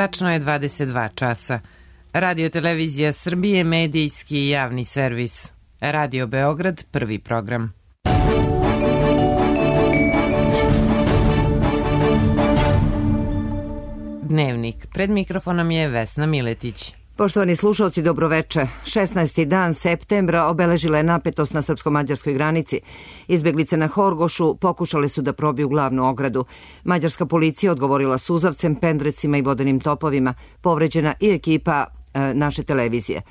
Tačno je 22 časa. Radio Televizija Srbije, medijski i javni servis. Radio Beograd, prvi program. Dnevnik. Pred mikrofonom je Vesna Miletić. Poštovani slušalci, dobroveče. 16. dan septembra obeležila je napetost na srpsko-mađarskoj granici. Izbeglice na Horgošu pokušale su da probiju glavnu ogradu. Mađarska policija odgovorila suzavcem, pendrecima i vodenim topovima. Povređena i ekipa naše televizije.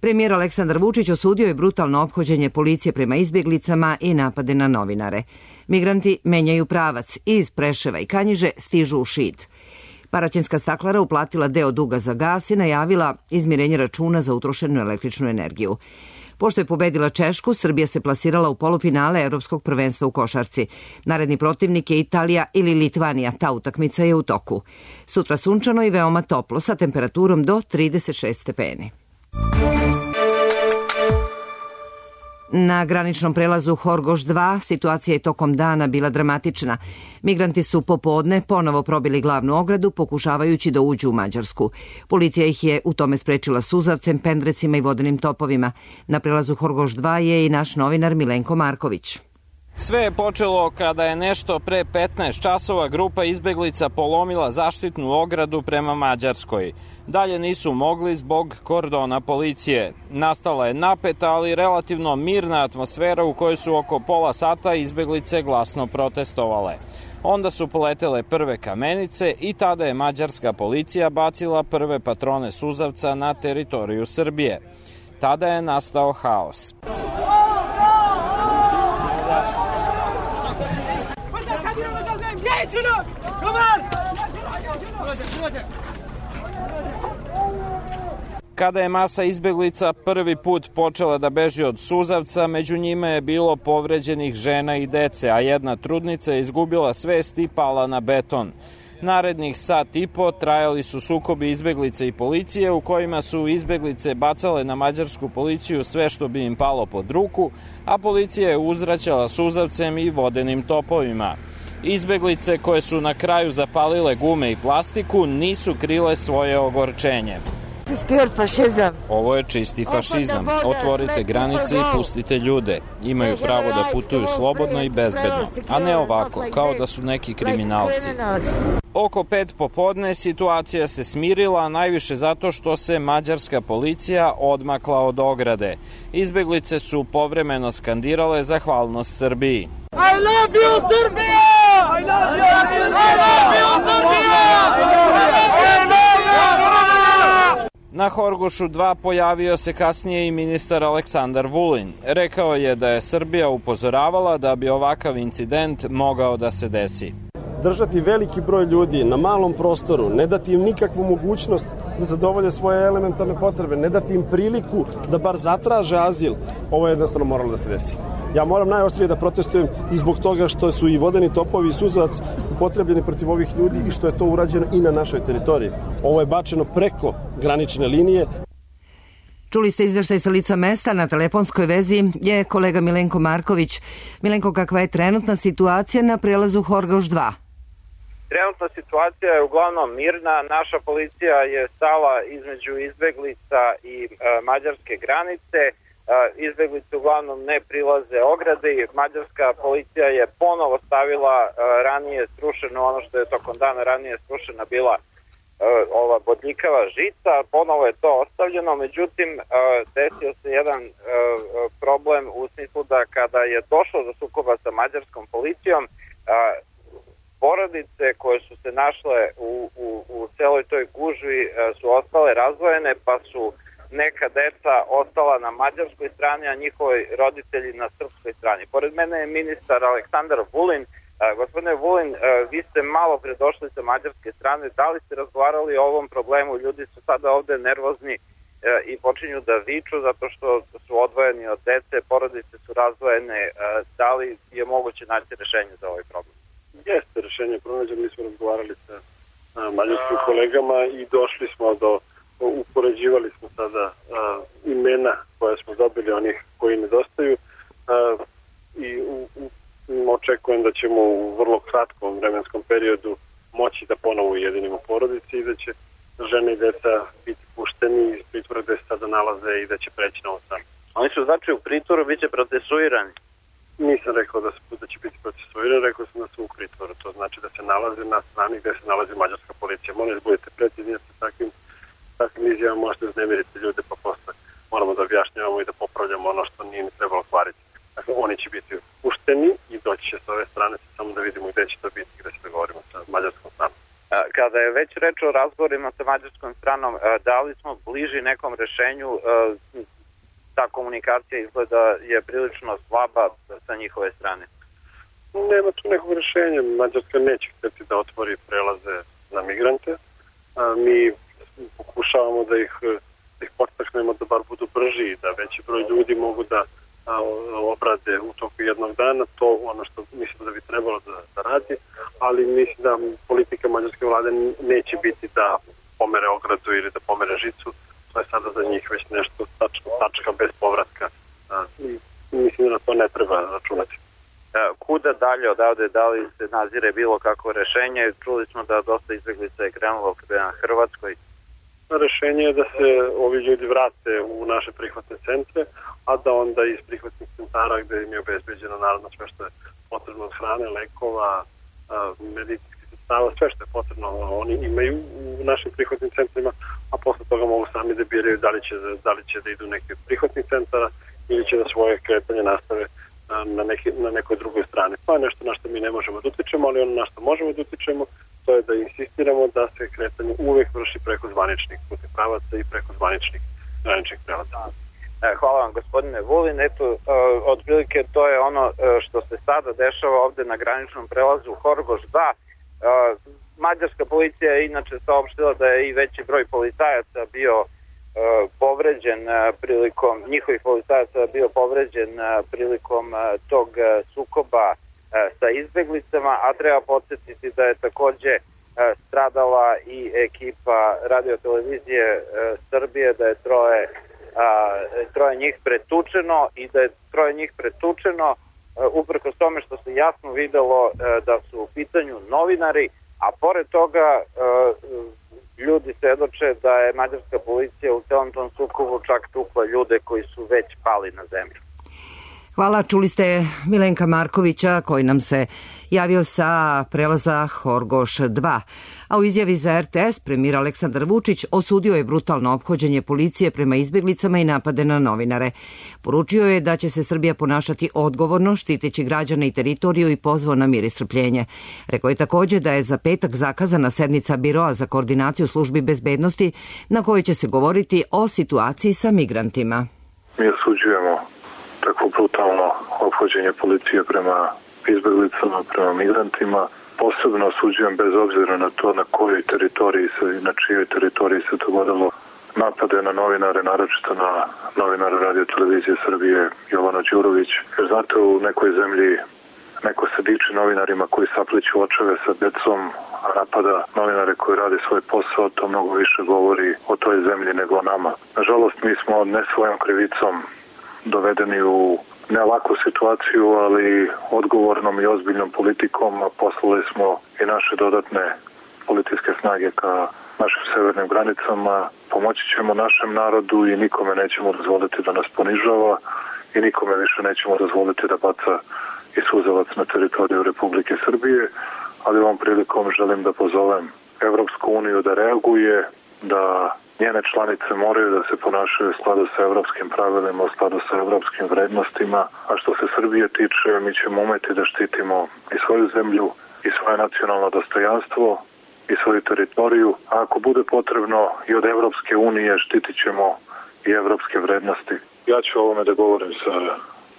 Premijer Aleksandar Vučić osudio je brutalno ophođenje policije prema izbjeglicama i napade na novinare. Migranti menjaju pravac i iz Preševa i Kanjiže stižu u Šid. Paraćinska staklara uplatila deo duga za gas i najavila izmirenje računa za utrošenu električnu energiju. Pošto je pobedila Češku, Srbija se plasirala u polufinale Evropskog prvenstva u košarci. Naredni protivnik je Italija ili Litvanija, ta utakmica je u toku. Sutra sunčano i veoma toplo sa temperaturom do 36 stepeni. Na graničnom prelazu Horgoš 2 situacija je tokom dana bila dramatična. Migranti su popodne ponovo probili glavnu ogradu pokušavajući da uđu u Mađarsku. Policija ih je u tome sprečila suzavcem, pendrecima i vodenim topovima. Na prelazu Horgoš 2 je i naš novinar Milenko Marković. Sve je počelo kada je nešto pre 15 časova grupa izbeglica polomila zaštitnu ogradu prema Mađarskoj. Dalje nisu mogli zbog kordona policije. Nastala je napeta, ali relativno mirna atmosfera u kojoj su oko pola sata izbeglice glasno protestovale. Onda su poletele prve kamenice i tada je mađarska policija bacila prve patrone suzavca na teritoriju Srbije. Tada je nastao haos. Kada je masa izbeglica prvi put počela da beži od suzavca, među njima je bilo povređenih žena i dece, a jedna trudnica je izgubila svest i pala na beton. Narednih sat i po trajali su sukobi izbeglice i policije u kojima su izbeglice bacale na mađarsku policiju sve što bi im palo pod ruku, a policija je uzvraćala suzavcem i vodenim topovima. Izbeglice koje su na kraju zapalile gume i plastiku nisu krile svoje ogorčenje. Ovo je čisti fašizam. Otvorite granice i pustite ljude. Imaju pravo da putuju slobodno i bezbedno, a ne ovako, kao da su neki kriminalci. Oko 5 popodne situacija se smirila, najviše zato što se mađarska policija odmakla od ograde. Izbeglice su povremeno skandirale zahvalnost Srbiji. I love you, Srbija! I love you, Srbija! Na Horgošu 2 pojavio se kasnije i ministar Aleksandar Vulin. Rekao je da je Srbija upozoravala da bi ovakav incident mogao da se desi. Držati veliki broj ljudi na malom prostoru, ne dati im nikakvu mogućnost da zadovolje svoje elementarne potrebe, ne dati im priliku da bar zatraže azil, ovo je jednostavno moralo da se desi. Ja moram najoštrije da protestujem i zbog toga što su i vodeni topovi i suzavac upotrebljeni protiv ovih ljudi i što je to urađeno i na našoj teritoriji. Ovo je bačeno preko granične linije. Čuli ste izveštaj sa lica mesta, na telefonskoj vezi je kolega Milenko Marković. Milenko, kakva je trenutna situacija na prelazu Horgoš 2? Trenutna situacija je uglavnom mirna. Naša policija je stala između izbeglica i mađarske granice. Izbeglice uglavnom ne prilaze ograde. Mađarska policija je ponovo stavila ranije srušeno, ono što je tokom dana ranije srušena bila ova bodljikava žica, ponovo je to ostavljeno, međutim desio se jedan problem u smislu da kada je došlo do sukoba sa mađarskom policijom, porodice koje su se našle u celoj toj gužvi su ostale razdvojene, pa su neka deca ostala na mađarskoj strani, a njihovi roditelji na srpskoj strani. Pored mene je ministar Aleksandar Vulin. Gospodine Vulin, vi ste malo pre došli sa mađarske strane, da li ste razgovarali o ovom problemu? Ljudi su sada ovde nervozni i počinju da viču zato što su odvojeni od dece, porodice su razdvojene. Da li je moguće naći rešenje za ovaj problem? Jeste rešenje pronađeno, mi smo razgovarali sa mađarskim kolegama i došli smo do, upoređivali smo sada imena koje smo dobili, onih koji nedostaju i očekujem da ćemo u vrlo kratkom vremenskom periodu moći da ponovo ujedinimo porodice i da će žene i deca biti pušteni iz pritvora gde se sada nalaze i da će preći na ovu stranu. Oni su znači u pritvoru, bit će procesuirani? Nisam rekao da će biti procesuirani, rekao sam da su u pritvoru. To znači da se nalaze na strani gde se nalazi mađarska policija. Molim da budete precizni, jer sa takvim izjavama možete uznemiriti ljude, pa posle moramo da objašnjavamo i da popravljamo ono što nije trebalo kvariti. Dakle, oni će biti pušteni i doći će s ove strane, samo da vidimo gde će to biti, gde će da govorimo sa mađarskom stranom. Kada je već reč o razgovorima sa mađarskom stranom, da li smo bliži nekom rešenju? Ta komunikacija izgleda je prilično slaba sa njihove strane. Nema tu nekog rešenja. Mađarska neće hteti da otvori prelaze za migrante. Mi pokušavamo da ih podstaknemo da bar budu brži i da veći broj ljudi mogu da obrade u toku jednog dana. To ono što mislim da bi trebalo da radi, ali mislim da politika mađarske vlade neće biti da pomere ogradu ili da pomere žicu. To je sada za njih već nešto tačka bez povratka. Mislim da na to ne treba računati. Kuda dalje odavde, da li se nazire bilo kako rešenje? Čuli smo da dosta izbeglica je krenulo prema Hrvatskoj. Rešenje je da se ovi ljudi vrate u naše prihvatne centre, a da onda iz prihvatnih centara gde im je obezbeđeno naravno sve što je potrebno od hrane, lekova, medicinskih sredstava, sve što je potrebno oni imaju u našim prihvatnim centrima, a posle toga mogu sami da biraju da li će da idu neki od prihvatnih centara ili će da svoje kretanje nastave na nekoj drugoj strani. To je nešto na što mi ne možemo da utičemo, ali ono na što možemo da utičemo to je da insistiramo da se kretanje uvek vrši preko zvaničnih putnih pravaca i preko zvaničnih graničnih prelaza. Hvala vam, gospodine Vulin. Eto, otprilike to je ono što se sada dešava ovde na graničnom prelazu Horgoš 2. Mađarska policija je inače saopštila da je i veći broj policajaca bio povređen njihovih policajaca bio povređen prilikom tog sukoba sa izbeglicama, a treba podsjetiti da je takođe stradala i ekipa Radio-televizije Srbije, da je troje njih pretučeno i da je troje njih pretučeno uprkos tome što se jasno videlo da su u pitanju novinari, a pored toga ljudi svedoče da je mađarska policija u celom tom sukobu čak tukla ljude koji su već pali na zemlju. Hvala, čuli ste Milenka Markovića koji nam se javio sa prelaza Horgoš 2. A u izjavi za RTS premijer Aleksandar Vučić osudio je brutalno ophođenje policije prema izbeglicama i napade na novinare. Poručio je da će se Srbija ponašati odgovorno, štiteći građane i teritoriju i pozvao na mir i strpljenje. Rekao je takođe da je za petak zakazana sednica Biroa za koordinaciju službi bezbednosti na kojoj će se govoriti o situaciji sa migrantima. Mi osuđujemo takvo brutalno ophođenje policije prema izbeglicama, prema migrantima. Posebno osuđujem bez obzira na to na kojoj teritoriji na čijoj teritoriji se dogodilo napade na novinare, naročito na novinara Radio-televizije Srbije Jovana Đurović. Jer znate, u nekoj zemlji neko se diči novinarima koji sapliću očeve sa decom, a napada novinare koji rade svoj posao, to mnogo više govori o toj zemlji nego o nama. Nažalost, mi smo ne svojom krivicom dovedeni u ne laku situaciju, ali odgovornom i ozbiljnom politikom poslali smo i naše dodatne policijske snage ka našim severnim granicama. Pomoći ćemo našem narodu i nikome nećemo dozvoliti da nas ponižava i nikome više nećemo dozvoliti da baca i suzavac na teritoriju Republike Srbije, ali ovom prilikom želim da pozovem Evropsku uniju da reaguje, da njene članice moraju da se ponašaju u skladu sa evropskim pravilima, u skladu sa evropskim vrednostima, a što se Srbije tiče, mi ćemo umeti da štitimo i svoju zemlju, i svoje nacionalno dostojanstvo, i svoju teritoriju, a ako bude potrebno i od Evropske unije štitit ćemo i evropske vrednosti. Ja ću o ovome da govorim sa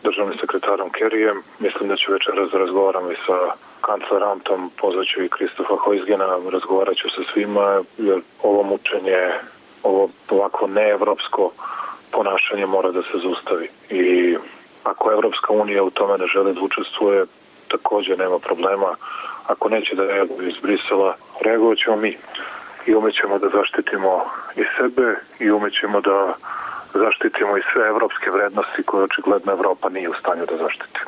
državnim sekretarom Kerijem, mislim da ću večeras da razgovaram i sa kanclerom Amtom, pozvaću i Kristofa Hojsgena, razgovarat ću sa svima, jer ovo mučenje, ovo ovako neevropsko ponašanje mora da se zaustavi. I ako Evropska unija u tome ne želi da učestvuje, takođe nema problema. Ako neće da reaguje iz Brisela, reagovat ćemo mi. I umećemo da zaštitimo i sebe i umećemo da zaštitimo i sve evropske vrednosti koje očigledno Evropa nije u stanju da zaštiti.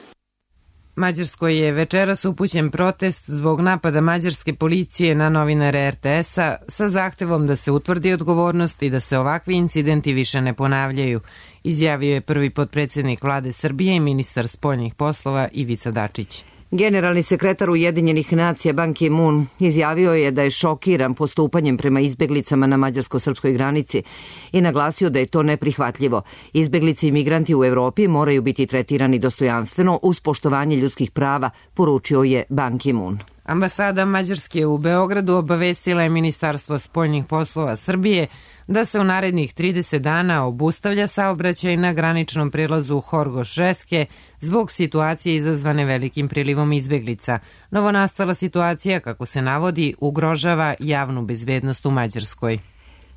Mađarskoj je večeras upućen protest zbog napada mađarske policije na novinare RTS-a sa zahtevom da se utvrdi odgovornost i da se ovakvi incidenti više ne ponavljaju, izjavio je prvi potpredsjednik vlade Srbije i ministar spoljnih poslova Ivica Dačić. Generalni sekretar Ujedinjenih nacija Ban Ki-moon izjavio je da je šokiran postupanjem prema izbeglicama na mađarsko-srpskoj granici i naglasio da je to neprihvatljivo. Izbeglice i migranti u Evropi moraju biti tretirani dostojanstveno uz poštovanje ljudskih prava, poručio je Ban Ki-moon. Ambasada Mađarske u Beogradu obavestila je Ministarstvo spoljnih poslova Srbije da se u narednih 30 dana obustavlja saobraćaj na graničnom prelazu Horgoš-Reske zbog situacije izazvane velikim prilivom izbeglica. Novonastala situacija, kako se navodi, ugrožava javnu bezbednost u Mađarskoj.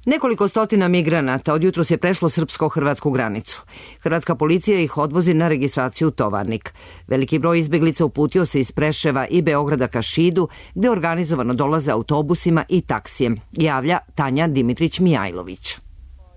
Nekoliko stotina migranata od jutros je prešlo srpsko-hrvatsku granicu. Hrvatska policija ih odvozi na registraciju u Tovarnik. Veliki broj izbeglica uputio se iz Preševa i Beograda ka Šidu, gde organizovano dolaze autobusima i taksijem, javlja Tanja Dimitrić-Mijajlović.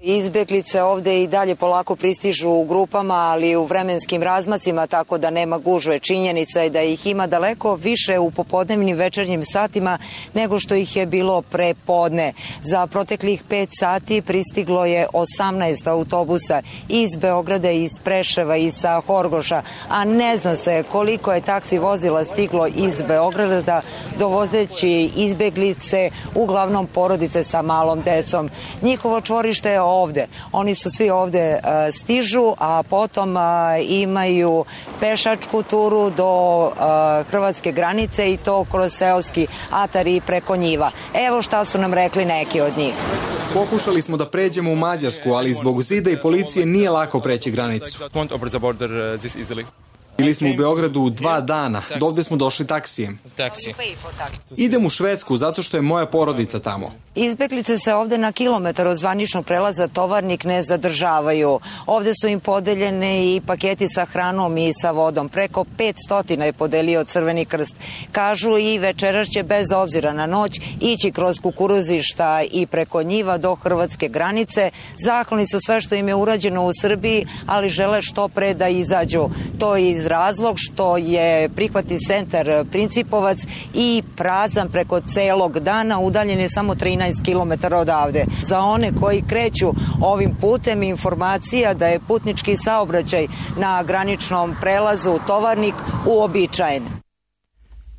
Izbeglice ovde i dalje polako pristižu u grupama, ali u vremenskim razmacima, tako da nema gužve. Činjenica je da ih ima daleko više u popodnevnim večernjim satima nego što ih je bilo pre podne. Za proteklih 5 sati pristiglo je 18 autobusa iz Beograda, iz Preševa i sa Horgoša, a ne zna se koliko je taksi vozila stiglo iz Beograda dovozeći izbeglice, uglavnom porodice sa malom decom. Njihovo čvorište je ovde. Oni su svi ovde stižu, a potom imaju pešačku turu do hrvatske granice i to kroz seoski atar i preko njiva. Evo šta su nam rekli neki od njih. Pokušali smo da pređemo u Mađarsku, ali zbog zida i policije nije lako preći granicu. Bili smo u Beogradu 2 dana, dovde smo došli taksijem. Idem u Švedsku zato što je moja porodica tamo. Izbeglice se ovde na kilometar od zvaničnog prelaza Tovarnik ne zadržavaju. Ovde su im podeljene i paketi sa hranom i sa vodom. Preko 500 je podelio Crveni krst. Kažu i večeras će bez obzira na noć ići kroz kukuruzišta i preko njiva do hrvatske granice. Zahvalni su sve što im je urađeno u Srbiji, ali žele što pre da izađu. To je iz razlog što je prihvatni centar Principovac i prazan preko celog dana, udaljen je samo 13 km odavde. Za one koji kreću ovim putem, informacija da je putnički saobraćaj na graničnom prelazu Tovarnik uobičajen.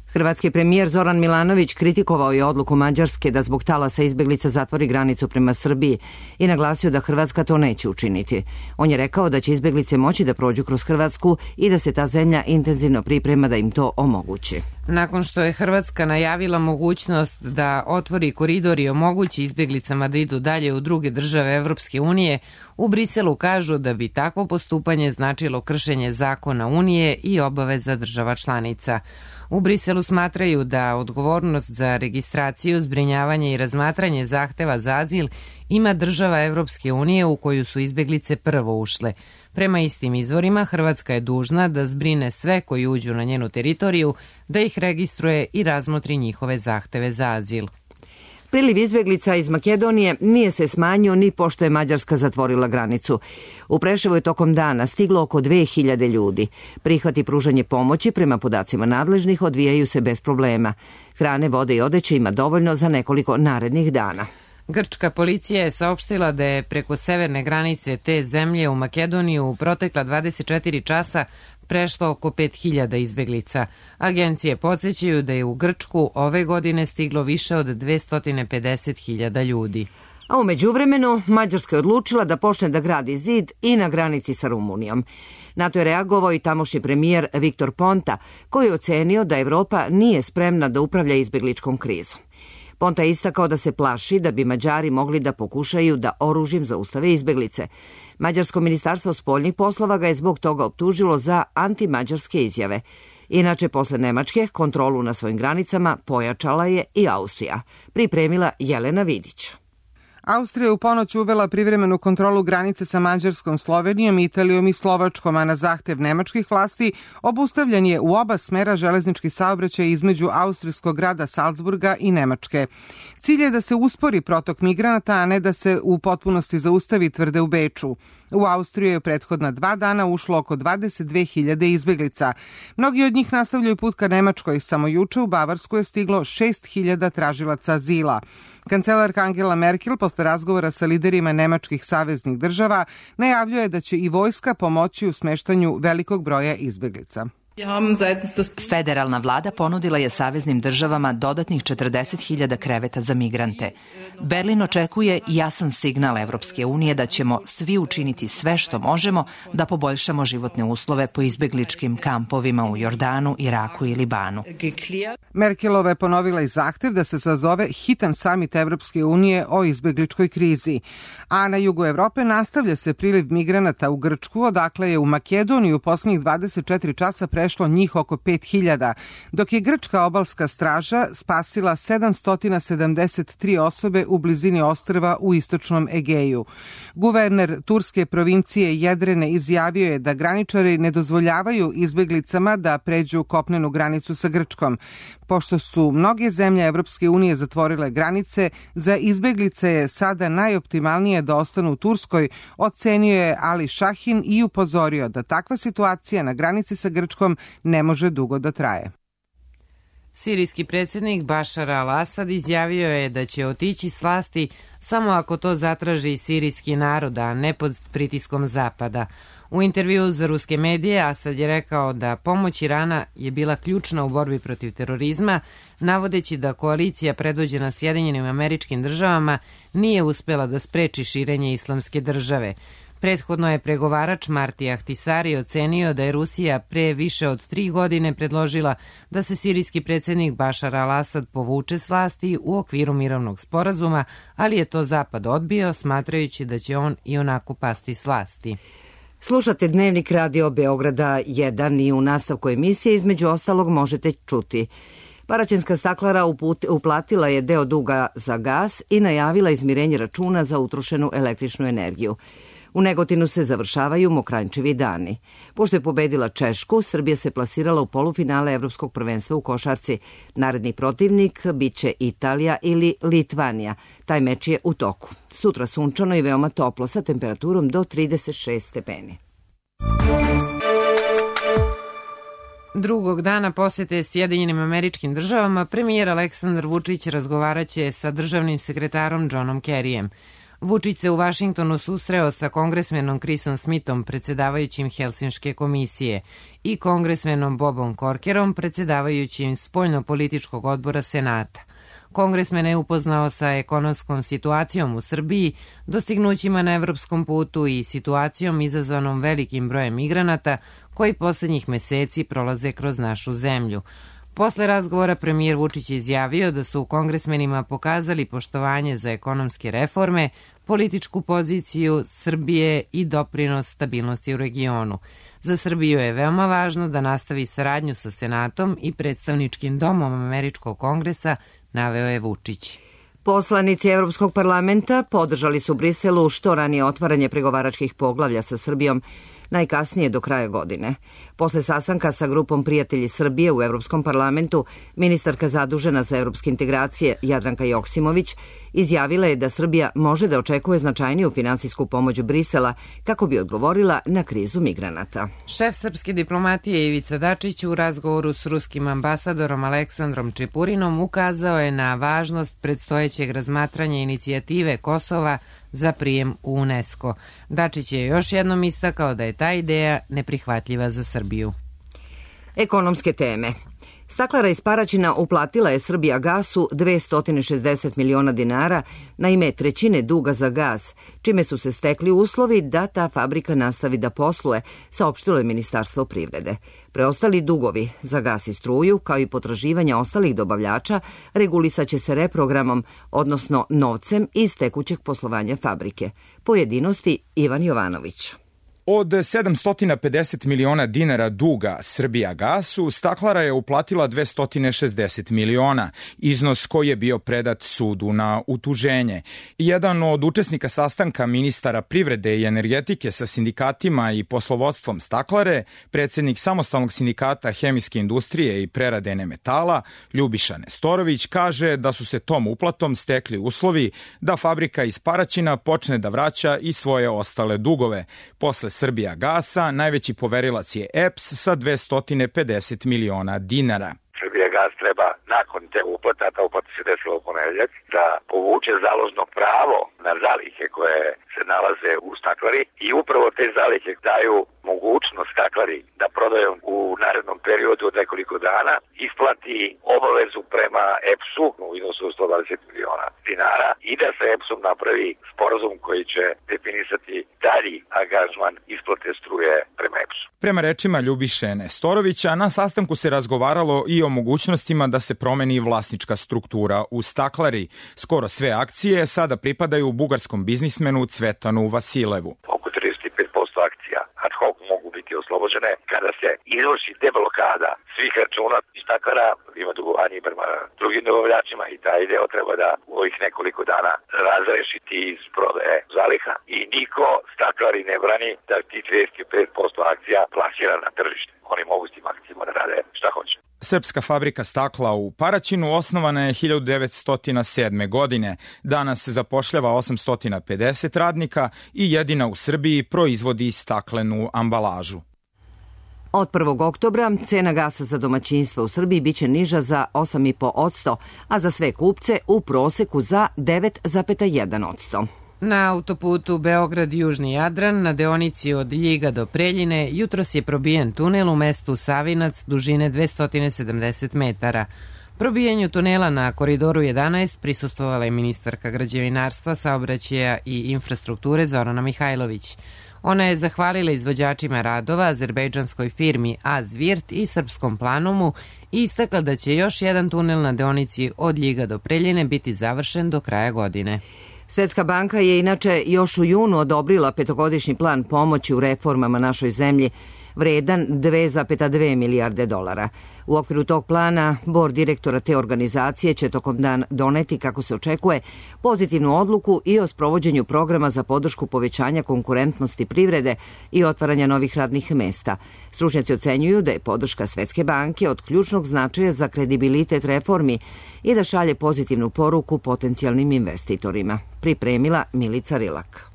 Hrvatski premijer Zoran Milanović kritikovao je odluku Mađarske da zbog talasa izbeglica zatvori granicu prema Srbiji i naglasio da Hrvatska to neće učiniti. On je rekao da će izbeglice moći da prođu kroz Hrvatsku i da se ta zemlja intenzivno priprema da im to omogući. Nakon što je Hrvatska najavila mogućnost da otvori koridor i omogući izbeglicama da idu dalje u druge države Evropske unije, u Briselu kažu da bi takvo postupanje značilo kršenje zakona Unije i obaveza država članica. U Briselu smatraju da odgovornost za registraciju, zbrinjavanje i razmatranje zahteva za azil ima država Evropske unije u koju su izbeglice prvo ušle. Prema istim izvorima, Hrvatska je dužna da zbrine sve koji uđu na njenu teritoriju, da ih registruje i razmotri njihove zahteve za azil. Priliv izbeglica iz Makedonije nije se smanjio ni pošto je Mađarska zatvorila granicu. U Preševu je tokom dana stiglo oko 2000 ljudi. Prihvat i pružanje pomoći, prema podacima nadležnih, odvijaju se bez problema. Hrane, vode i odeće ima dovoljno za nekoliko narednih dana. Grčka policija je saopštila da je preko severne granice te zemlje u Makedoniju u protekla 24 časa prešlo oko 5000 izbeglica. Agencije podsjećaju da je u Grčku ove godine stiglo više od 250.000 ljudi. A u međuvremenu Mađarska je odlučila da počne da gradi zid i na granici sa Rumunijom. Na to je reagovao i tamošnji premijer Viktor Ponta, koji je ocenio da Evropa nije spremna da upravlja izbegličkom krizom. Ponta je istakao da se plaši da bi Mađari mogli da pokušaju da oružjem zaustave izbeglice. Mađarsko ministarstvo spoljnih poslova ga je zbog toga optužilo za antimađarske izjave. Inače, posle Nemačke, kontrolu na svojim granicama pojačala je i Austrija. Pripremila Jelena Vidić. Austrija je u ponoć uvela privremenu kontrolu granice sa Mađarskom, Slovenijom, Italijom i Slovačkom, a na zahtev nemačkih vlasti obustavljen je u oba smera železnički saobraćaj između austrijskog grada Salzburga i Nemačke. Cilj je da se uspori protok migranata, a ne da se u potpunosti zaustavi, tvrde u Beču. U Austriju je prethodna 2 dana ušlo oko 22.000 izbeglica. Mnogi od njih nastavljaju put ka Nemačkoj. Samo juče u Bavarsku je stiglo 6.000 tražilaca azila. Kancelarka Angela Merkel posle razgovora sa liderima nemačkih saveznih država najavljuje da će i vojska pomoći u smeštanju velikog broja izbeglica. Federalna vlada ponudila je saveznim državama dodatnih 40.000 kreveta za migrante. Berlin očekuje jasan signal Evropske unije da ćemo svi učiniti sve što možemo da poboljšamo životne uslove po izbegličkim kampovima u Jordanu, Iraku i Libanu. Merkelova je ponovila i zahtev da se sazove hitan samit Evropske unije o izbegličkoj krizi. A na jugu Evrope nastavlja se priliv migranata u Grčku, odakle je u Makedoniju u poslednjih 24 časa prešlo njih oko 5.000, dok je grčka obalska straža spasila 773 osobe u blizini ostrva u istočnom Egeju. Guverner turske provincije Jedrene izjavio je da graničari ne dozvoljavaju izbeglicama da pređu kopnenu granicu sa Grčkom. Pošto su mnoge zemlje Evropske unije zatvorile granice, za izbeglice je sada najoptimalnije da ostanu u Turskoj, ocenio je Ali Šahin i upozorio da takva situacija na granici sa Grčkom ne može dugo da traje. Sirijski predsjednik Bašar al-Asad izjavio je da će otići s vlasti samo ako to zatraži sirijski narod, a ne pod pritiskom Zapada. U intervjuu za ruske medije Asad je rekao da pomoć Irana je bila ključna u borbi protiv terorizma, navodeći da koalicija predvođena Sjedinjenim Američkim Državama nije uspela da spreči širenje islamske države. Prethodno je pregovarač Marti Ahtisari ocenio da je Rusija pre više od 3 godine predložila da se sirijski predsjednik Bašar al-Asad povuče s vlasti u okviru mirovnog sporazuma, ali je to Zapad odbio, smatrajući da će on i onako pasti s vlasti. Slušate Dnevnik Radio Beograda 1 i u nastavku emisije između ostalog možete čuti. Paraćinska staklara uplatila je deo duga za gas i najavila izmirenje računa za utrošenu električnu energiju. U Negotinu se završavaju Mokranjčevi dani. Pošto je pobedila Češku, Srbija se plasirala u polufinale Evropskog prvenstva u košarci. Naredni protivnik biće Italija ili Litvanija. Taj meč je u toku. Sutra sunčano i veoma toplo sa temperaturom do 36 stepeni. Drugog dana posete Sjedinjenim Američkim Državama premijer Aleksandar Vučić razgovaraće sa državnim sekretarom Johnom Kerryjem. Vučić se u Vašingtonu susreo sa kongresmenom Chrisom Smithom, predsjedavajućim Helsinške komisije, i kongresmenom Bobom Corkerom, predsjedavajućim Spoljno-političkog odbora Senata. Kongresmen je upoznao sa ekonomskom situacijom u Srbiji, dostignućima na evropskom putu i situacijom izazvanom velikim brojem migranata koji poslednjih meseci prolaze kroz našu zemlju. Posle razgovora premijer Vučić je izjavio da su kongresmenima pokazali poštovanje za ekonomske reforme, političku poziciju Srbije i doprinos stabilnosti u regionu. Za Srbiju je veoma važno da nastavi saradnju sa Senatom i predstavničkim domom Američkog kongresa, naveo je Vučić. Poslanici Evropskog parlamenta podržali su Briselu što ranije otvaranje pregovaračkih poglavlja sa Srbijom, najkasnije do kraja godine. Posle sastanka sa grupom Prijatelji Srbije u Evropskom parlamentu, ministarka zadužena za evropske integracije Jadranka Joksimović izjavila je da Srbija može da očekuje značajniju finansijsku pomoć Brisela kako bi odgovorila na krizu migranata. Šef srpske diplomatije Ivica Dačić u razgovoru s ruskim ambasadorom Aleksandrom Čepurinom ukazao je na važnost predstojećeg razmatranja inicijative Kosova za prijem u UNESCO. Dačić je još jednom istakao da je ta ideja neprihvatljiva za Srbiju. Ekonomske teme. Staklara iz Paraćina uplatila je Srbija gasu 260 miliona dinara na ime trećine duga za gas, čime su se stekli uslovi da ta fabrika nastavi da posluje, saopštilo je Ministarstvo privrede. Preostali dugovi za gas i struju, kao i potraživanja ostalih dobavljača, regulisaće se reprogramom, odnosno novcem iz tekućeg poslovanja fabrike. Pojedinosti Ivan Jovanović. Od 750 miliona dinara duga Srbijagasu, Staklara je uplatila 260 miliona, iznos koji je bio predat sudu na utuženje. Jedan od učesnika sastanka ministara privrede i energetike sa sindikatima i poslovodstvom Staklare, predsjednik samostalnog sindikata hemijske industrije i prerade metala, Ljubiša Nestorović, kaže da su se tom uplatom stekli uslovi da fabrika iz Paraćina počne da vraća i svoje ostale dugove. Posle Srbijagasa najveći poverilac je EPS sa 250 miliona dinara. Srbijagas treba nakon te uplata, ta uplata se desila u ponedeljak, da povuče založno pravo na zalihe koje se nalaze u Staklari i upravo te zalihe daju mogućnost Staklari da prodaju u narednom periodu od nekoliko dana, isplati obavezu prema EPS-u u iznosu 120 miliona dinara i da se EPS-om napravi sporazum koji će definisati dalji angažman isplate struje prema EPS-u. Prema rečima Ljubiše Nestorovića, na sastanku se razgovaralo i o mogućnostima da se promeni vlasnička struktura u Staklari. Skoro sve akcije sada pripadaju bugarskom biznismenu Cvetanu Vasilevu. Oko 35% akcija ad hoc mogu biti oslobođene kada se izvrši deblokada svih računa iz Staklara, ima dugovanje prema drugim dobavljačima i taj deo treba da u ovih nekoliko dana razrešiti iz prodaje zaliha i niko Staklari ne brani da ti 35% akcija plasira na tržište. Oni mogu s tim akcijama da rade šta hoće. Srpska fabrika stakla u Paraćinu osnovana je 1907. godine. Danas zapošljava 850 radnika i jedina u Srbiji proizvodi staklenu ambalažu. Od 1. oktobra cena gasa za domaćinstva u Srbiji biće niža za 8,5%, a za sve kupce u proseku za 9,1%. Na autoputu Beograd-Južni Jadran na deonici od Ljiga do Preljine jutros je probijen tunel u mestu Savinac dužine 270 metara. Probijanju tunela na Koridoru 11 prisustvovala je ministarka građevinarstva, saobraćaja i infrastrukture Zorana Mihajlović. Ona je zahvalila izvođačima radova, azerbejdžanskoj firmi Azvirt i Srpskom Planomu i istakla da će još jedan tunel na deonici od Ljiga do Preljine biti završen do kraja godine. Svetska banka je inače još u junu odobrila petogodišnji plan pomoći u reformama našoj zemlji, vredan 2,2 milijarde dolara. U okviru tog plana, bord direktora te organizacije će tokom dana doneti, kako se očekuje, pozitivnu odluku i o sprovođenju programa za podršku povećanja konkurentnosti privrede i otvaranja novih radnih mesta. Stručnjaci ocenjuju da je podrška Svetske banke od ključnog značaja za kredibilitet reformi i da šalje pozitivnu poruku potencijalnim investitorima. Pripremila Milica Rilak.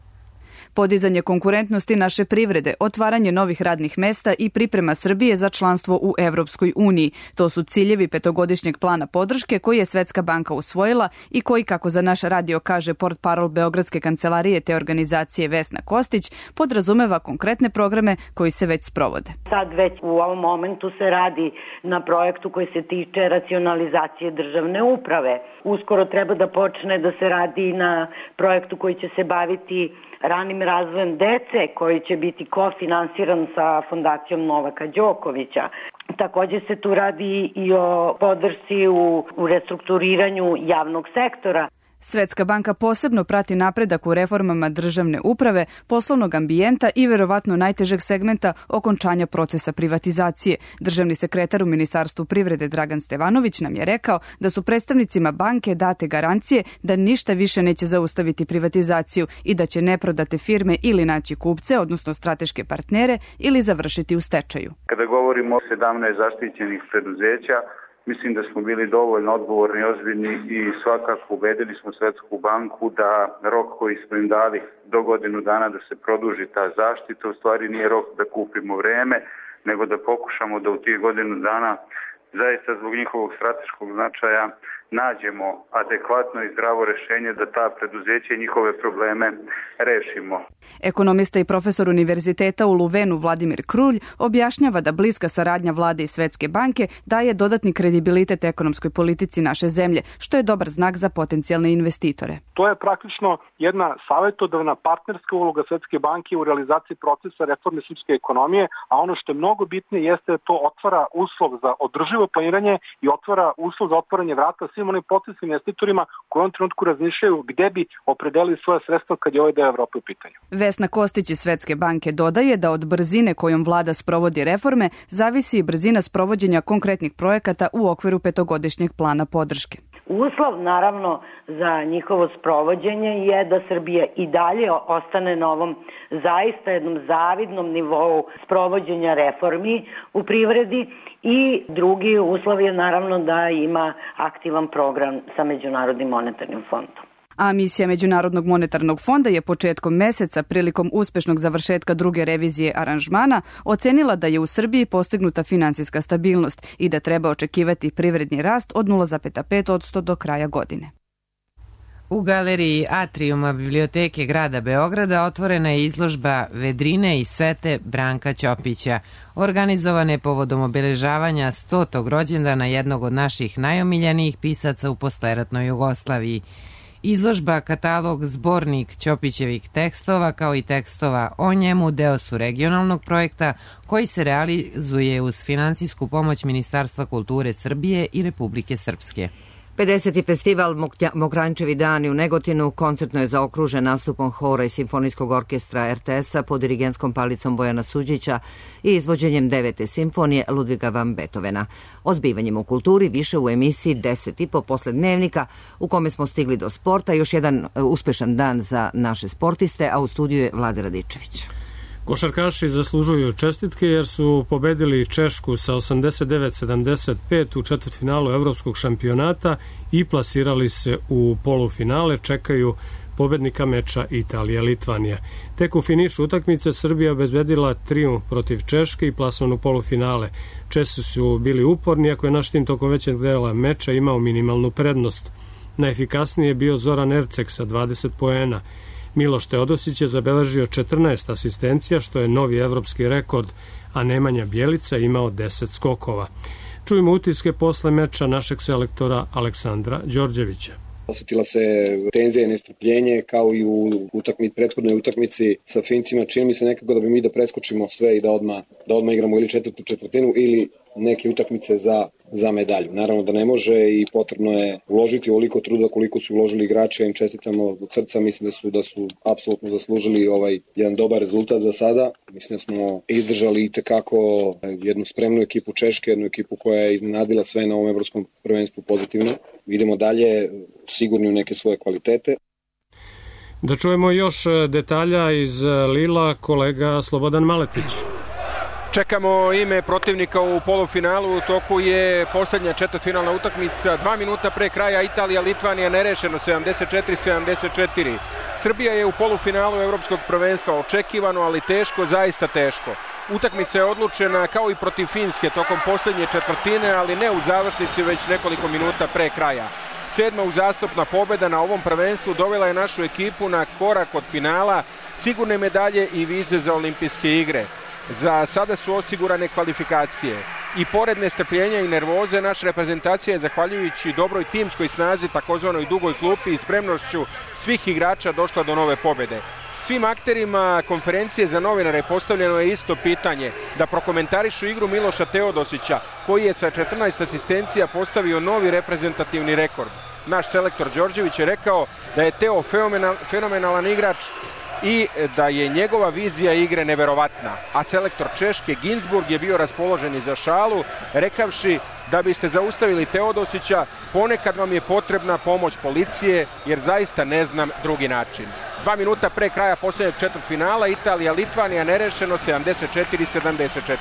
Podizanje konkurentnosti naše privrede, otvaranje novih radnih mesta i priprema Srbije za članstvo u Evropskoj uniji. To su ciljevi petogodišnjeg plana podrške koji je Svetska banka usvojila i koji, kako za naš radio kaže portparol Beogradske kancelarije te organizacije Vesna Kostić, podrazumeva konkretne programe koji se već sprovode. Sad već u ovom momentu se radi na projektu koji se tiče racionalizacije državne uprave. Uskoro treba da počne da se radi na projektu koji će se baviti ranim razvojem dece, koji će biti kofinansiran sa fondacijom Novaka Đokovića. Također se tu radi i o podršci u restrukturiranju javnog sektora. Svetska banka posebno prati napredak u reformama državne uprave, poslovnog ambijenta i verovatno najtežeg segmenta okončanja procesa privatizacije. Državni sekretar u Ministarstvu privrede Dragan Stevanović nam je rekao da su predstavnicima banke date garancije da ništa više neće zaustaviti privatizaciju i da će neprodate firme ili naći kupce, odnosno strateške partnere, ili završiti u stečaju. Kada govorimo o 17 zaštićenih preduzeća, mislim da smo bili dovoljno odgovorni i ozbiljni i svakako ubedili smo Svetsku banku da rok koji smo im dali do godinu dana da se produži ta zaštita, u stvari nije rok da kupimo vreme, nego da pokušamo da u tih godinu dana zaista zbog njihovog strateškog značaja nađemo adekvatno i zdravo rešenje da ta preduzeća i njihove probleme rešimo. Ekonomista i profesor univerziteta u Luvenu Vladimir Krulj objašnjava da bliska saradnja vlade i Svetske banke daje dodatni kredibilitet ekonomskoj politici naše zemlje, što je dobar znak za potencijalne investitore. To je praktično jedna savjetodavna partnerska uloga Svetske banke u realizaciji procesa reforme srpske ekonomije, a ono što je mnogo bitnije jeste da to otvara uslov za održivo planiranje i otvara uslov za otvaranje vrata svim onim potencijalnim investitorima koji u ovom trenutku razmišljaju gde bi opredelili svoje sredstva kad je ovaj deo Evrope u pitanju. Vesna Kostić iz Svetske banke dodaje da od brzine kojom vlada sprovodi reforme zavisi i brzina sprovođenja konkretnih projekata u okviru petogodišnjeg plana podrške. Uslov, naravno, za njihovo sprovođenje je da Srbija i dalje ostane na ovom zaista jednom zavidnom nivou sprovođenja reformi u privredi i drugi uslov je naravno da ima aktivan program sa Međunarodnim monetarnim fondom. A misija Međunarodnog monetarnog fonda je početkom meseca prilikom uspešnog završetka druge revizije aranžmana ocenila da je u Srbiji postignuta finansijska stabilnost i da treba očekivati privredni rast od 0,5% do kraja godine. U galeriji Atrijuma Biblioteke grada Beograda otvorena je izložba Vedrine i sete Branka Ćopića, organizovane povodom obeležavanja 100. rođendana jednog od naših najomiljenijih pisaca u posleratnoj Jugoslaviji. Izložba, katalog, zbornik Ćopićevih tekstova kao i tekstova o njemu deo su regionalnog projekta koji se realizuje uz finansijsku pomoć Ministarstva kulture Srbije i Republike Srpske. 50. festival Mokranjčevi dani u Negotinu koncertno je zaokružen nastupom hora i simfonijskog orkestra RTS-a pod dirigentskom palicom Bojana Suđića i izvođenjem 9. simfonije Ludviga van Beethovena. O zbivanjima u kulturi više u emisiji 10,5 posle dnevnika u kome smo stigli do sporta. Još jedan uspešan dan za naše sportiste, a u studiju je Vlada Radičević. Košarkaši zaslužuju čestitke jer su pobedili Češku sa 89-75 u četvrtfinalu evropskog šampionata i plasirali se u polufinale. Čekaju pobednika meča Italija-Litvanija. Tek u finišu utakmice Srbija obezbedila trijumf protiv Češke i plasman u polufinale. Česi su bili uporni, ako je naš tim tokom većeg dela meča imao minimalnu prednost. Najefikasniji je bio Zoran Erceg sa 20 poena. Miloš Teodosić je zabeležio 14 asistencija, što je novi evropski rekord, a Nemanja Bjelica imao 10 skokova. Čujemo utiske posle meča našeg selektora Aleksandra Đorđevića. Osetila se tenzija i nestrpljenje kao i u prethodnoj utakmici sa Fincima. Čini mi se nekako da bi mi da preskočimo sve i da odmah igramo ili četvrtu četvrtinu ili neke utakmice za medalju. Naravno da ne može i potrebno je uložiti ovoliko truda koliko su uložili igrači, im čestitamo od srca, mislim da su apsolutno zaslužili jedan dobar rezultat za sada. Mislim da smo izdržali i tekako jednu spremnu ekipu Češke, jednu ekipu koja je iznenadila sve na ovom evropskom prvenstvu pozitivno. Idemo dalje, sigurni u neke svoje kvalitete. Da čujemo još detalja iz Lila, kolega Slobodan Maletić. Čekamo ime protivnika u polufinalu, u toku je posljednja četvrtfinalna utakmica, 2 minuta pre kraja Italija-Litvanija nerešeno 74-74. Srbija je u polufinalu evropskog prvenstva, očekivano, ali teško, zaista teško. Utakmica je odlučena kao i protiv Finske tokom posljednje četvrtine, ali ne u završnici, već nekoliko minuta pre kraja. 7. uzastopna pobjeda na ovom prvenstvu dovela je našu ekipu na korak od finala, sigurne medalje i vize za olimpijske igre. Za sada su osigurane kvalifikacije. I pored nestrpljenja i nervoze, naša reprezentacija je, zahvaljujući dobroj timskoj snazi, takozvanoj dugoj klupi i spremnošću svih igrača, došla do nove pobjede. Svim akterima konferencije za novinare postavljeno je isto pitanje, da prokomentarišu igru Miloša Teodosića, koji je sa 14 asistencija postavio novi reprezentativni rekord. Naš selektor Đorđević je rekao da je Teo fenomenalan igrač i da je njegova vizija igre neverovatna. A selektor Češke Ginsburg je bio raspoložen i za šalu, rekavši da biste zaustavili Teodosića, ponekad vam je potrebna pomoć policije, jer zaista ne znam drugi način. 2 minuta pre kraja posljednjeg četvrtfinala, Italija-Litvanija nerešeno 74-74.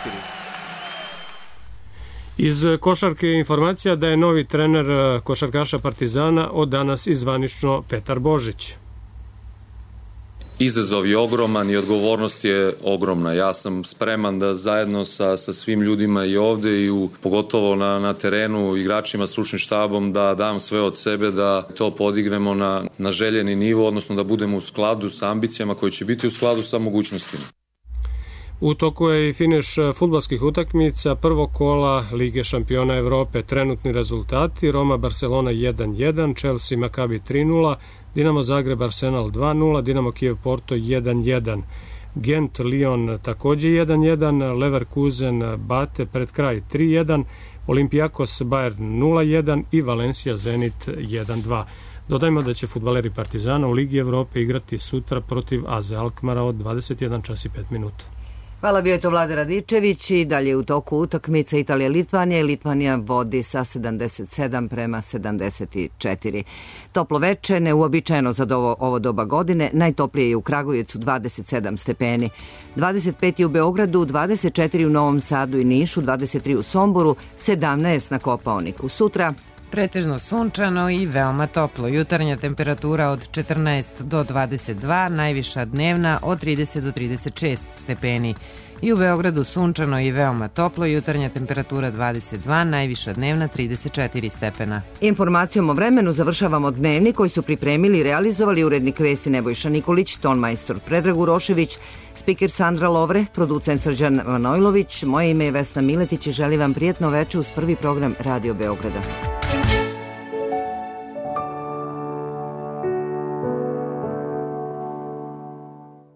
Iz košarke informacija da je novi trener košarkaša Partizana od danas i zvanično Petar Božić. Izazov je ogroman i odgovornost je ogromna. Ja sam spreman da zajedno sa svim ljudima i ovde i pogotovo na terenu, igračima, stručnim štabom, da dam sve od sebe, da to podignemo na željeni nivo, odnosno da budemo u skladu sa ambicijama koji će biti u skladu sa mogućnostima. U toku je i finiš fudbalskih utakmica prvog kola Lige šampiona Evrope. Trenutni rezultati: Roma Barcelona 1-1, Chelsea Maccabi 3-0, Dinamo Zagreb Arsenal 2-0, Dinamo Kijev Porto 1-1, Gent Lyon takođe 1-1, Leverkusen Bate pred kraj 3-1, Olympiakos Bayern 0-1 i Valencia Zenit 1-2. Dodajmo da će fudbaleri Partizana u Ligi Evrope igrati sutra protiv AZ Alkmara od 21 čas i 5 minuta. Hvala, bio je to Vlada Radičević i dalje u toku utakmica Italija-Litvanija. Litvanija vodi sa 77 prema 74. Toplo veče, neuobičajeno za ovo doba godine. Najtoplije je u Kragujevcu 27 stepeni. 25 je u Beogradu, 24 u Novom Sadu i Nišu, 23 u Somboru, 17 na Kopaoniku. Sutra pretežno sunčano i veoma toplo. Jutarnja temperatura od 14 do 22, najviša dnevna od 30 do 36 stepeni. I u Beogradu sunčano i veoma toplo, jutarnja temperatura 22, najviša dnevna 34 stepena. Informacijom o vremenu završavamo dnevnik koji su pripremili i realizovali urednik vesti Nebojša Nikolić, tonmajstor Predrag Urošević, spiker Sandra Lovre, producent Srđan Manojlović. Moje ime je Vesna Miletić i želim vam prijatno veče uz prvi program Radio Beograda.